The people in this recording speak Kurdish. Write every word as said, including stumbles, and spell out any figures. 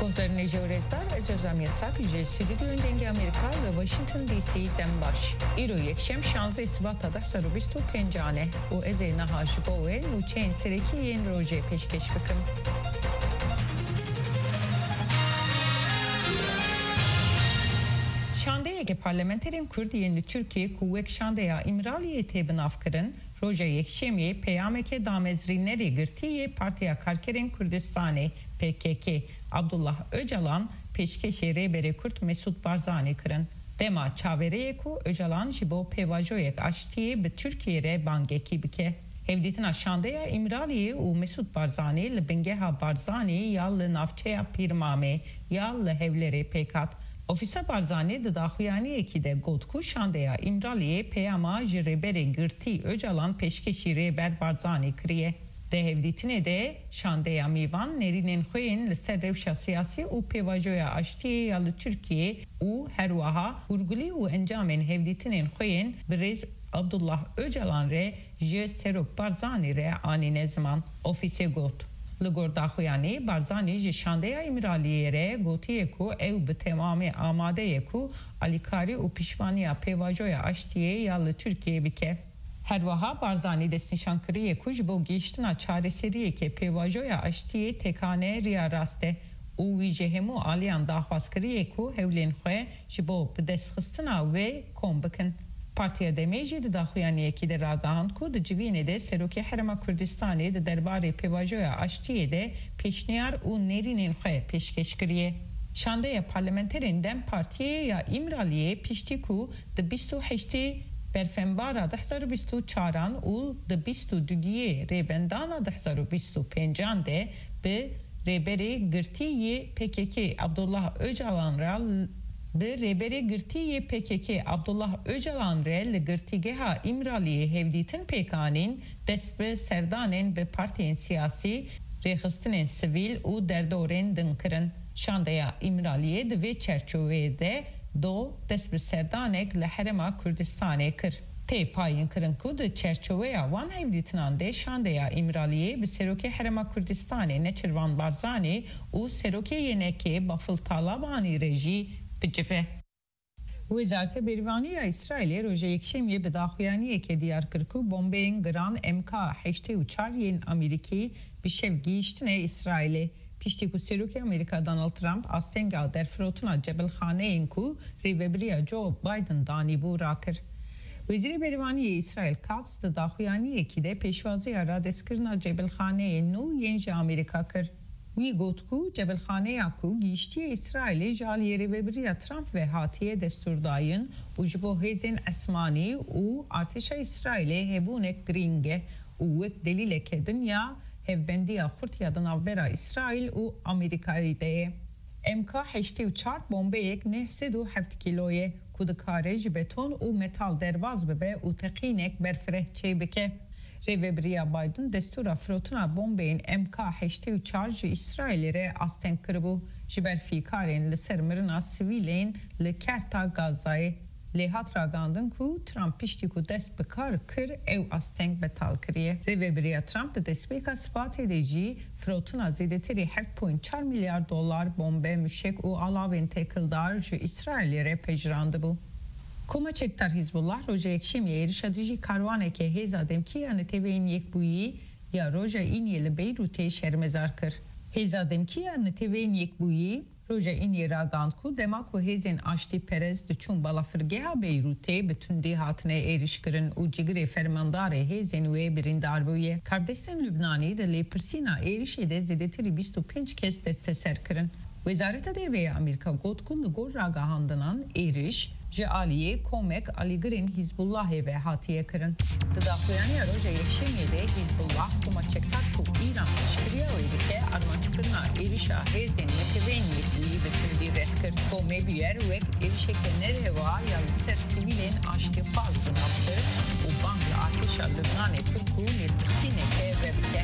Guhdarên hêja û rêzdar, ez Özlem Yasak ji Stûdyoyên Dengê Amerîka li Washington D C dem baş. Îro yekşem şazdeh Sibata du hezar û bîst û pêncan e û ez ê niha ji bo we nûçeyên serekî yên rojê pêşkêş bikim. Şandeyeke parlamenterên Kurd yên li Tirkiyê ku wek Şandeya Îmraliyê tê binavkirin, roja Yekşemê peyameke damezrînerê girtî yê Partiya Karkerên Kurdistanê, P K K, Abdullah Ocalan pêşkêşê Rêberê Kurd Mesûd Barzanî kirin. Dema çaverê ye ku Ocalan ji bo pêvajoyek aştiyê bi Tirkiyê re bangekî bike. Hevdîtina Şandeya Îmraliyê û Mesûd Barzanî li bingeha Barzanî ya li navçeya Pîrmamê ya li Hewlêrê pêk hat. Ofîsa Barzanî di daxuyaniyekî de got ku Şandeya Îmraliyê peyama ji Rêberê Girtî Ocalan pêşkêşî Rêber Barzanî kiriye. Di hevdîtinê de Şandeya Mîvan nerînên xwe yên li ser rewşa siyasî û pêvajoya aştiyê ya li Tirkiyê û herwiha hûrgulî û encamên hevdîtinên xwe yên bi rêz Abdullah Ocalan re ji Serok Barzanî re anîne ziman. Ofîsê got, li gor daxuyanî Barzanî ji Şandeya Îmraliyê re gotiye ku ew bi temamî amade ye ku alîkarî û piştvanîya pêvajoya aştiyê ya li Tirkiyê bike. Herwiha Barzanî destnîşan kiriye ku ji bo gihîştina çareseriyeke pêvajoya aştiyê tekane riya rast e û wî ji hemû aliyan daxwaz kiriye ku hewlên xwe ji bo bidestxistina wê kom bikin. Partiya Demê jî di daxuyaniyekî de ragihand ku di civînê de Serokê Herêma Kurdistanê di derbarê pêvajoya aştiyê de pêşniyar û nerînên xwe pêşkêş kiriye. Şandeya parlamenterên dem Partiyê ya Îmraliyê piştî ku di bîst û heştê Berfenbara du hezar û bîst û çaran û di bîst û duyê Rêbendana du hezar û bîst û pêncan de bi Rêberê Girtî yê P K K Abdullah Ocalan re bi Rêberê Girtî yê P K K Abdullah Ocalan re li Girtîgeha Îmraliyê hevdîtin pêk anîn, dest bi serdanên bi partiyên siyasî, rêxistinên sivîl û derdorên din kirin. Şandeya Îmraliyê di vê çerçoveyê de do dest bi serdanek li Herêma Kurdistanê kir. Tê payînkirin ku di çerçoveya wan hevdîtinan de Şandeya Îmraliyê bi Serokê Herêma Kurdistanê Neçirvan Barzanî û Serokê Y N K'ê Bafil Talabanî re jî bicive. Wezareta Berîvanî ya Îsraîlê roja Yekşemiyê bi daxuyaniyekê diyar kir ku bombeyên giran M K heştê û çar yên Amerîkî bi şev gihîştine Îsraîlê, piştî ku Serokê Amerîka Donald Trump astenga derfirotina cebilxaneyên ku rêvebiriya Joe Biden danîbû rakir. Wezîrê Berîvanî yê Îsraîl Katz di daxuyaniyekî de pêşwaziya radestkirina cebilxaneyên nû yên ji Amerîka kir. Wî got ku cebilxaneya ku gihîştiye Îsraîlê ji aliyê rêvebiriya Trump ve hatiye destûrdayîn û ji bo hêzên esmanî û artêşa Îsraîlê hebûnek girîng e û wek delîleke din ya hevbendiya xurt ya di navbera Îsraîl û Amerîkayê de ye. M K heştê û çar bombeyek neh sed û heft kîlo ye ku dikare ji beton û metal derbas bibe û teqînek berfireh çêbike. Rêvebiriya Biden destûra firotina bombeyên M K heştê û çar ji Îsraîlê re asteng kiribû, ji ber fîkarên li ser mirina sivîlên li Kerta Gazayê. Lê hat ragihandin ku Trump piştî ku dest bi kar kir, ew asteng betal kiriye. Rêvebiriya Trump di destpêka Sibatê de jî firotina zêdetirî heft point çar milyar dolar bombe, muşek û alavên têkildar ji Îsraîlê re pejirandibû. Koma çekdar Hizbullah roja Yekşemiyê êrişa dijî karwaneke Hêza Demkî ya Neteweyên Yekbûyî ya roja Îniyê li Beyrûtê şermezar kir. Hêza Demkî ya Neteweyên Yekbûyî roja Îniyê ragihand ku dema ku hêzên aştîperest diçûn balafirgeha Beyrûtê bi tundî hatine êrişkirin û cigirê fermandarê hêzên wê birîndar bûye. Karbidestên Lubnanî di lêpirsîna êrişê de zêdetirî bîst û pênc kes desteser kirin. Wezareta Derve ya Amerîka got ku li gor ragihandinan êriş ji aliyê komek alîgirên Hîzbullahê ve hatiye kirin. Di daxuyaniya roja Yekşemiyê de Hîzbullah, koma çekdar ku Îran piştgiriya wê dike, armanckirina êrişa hêzên Neteweyên Yekbûyî bi tundî red kir. Komê bûyer wek êrişeke nerêva ya li ser sivîlên aştîxwaz bi nav kir û bang li artêşa Lubnanê kir ku lêpirsîneke vebike.